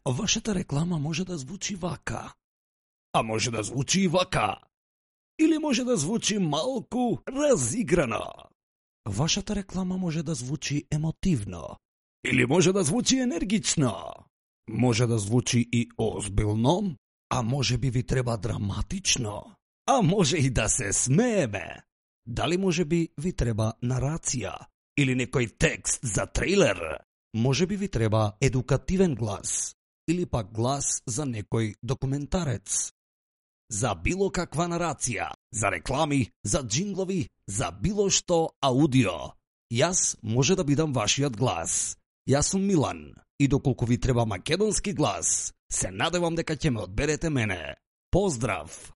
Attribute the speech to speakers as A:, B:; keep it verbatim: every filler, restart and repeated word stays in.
A: Вашата реклама може да звучи вака. А може да звучи и вака. Или може да звучи малку разиграно. Вашата реклама може да звучи емотивно. Или може да звучи енергично. Може да звучи и озбилно, а може би ви треба драматично. А може и да се смееме. Дали може би ви треба нарација или некој текст за трейлер? Може би ви треба едукативен глас или пак глас за некој документарец. За било каква нарација, за реклами, за джинглови, за било што аудио. Јас може да бидам вашиот глас. Јас сум Милан и доколку ви треба македонски глас, се надевам дека ќе ме одберете мене. Поздрав!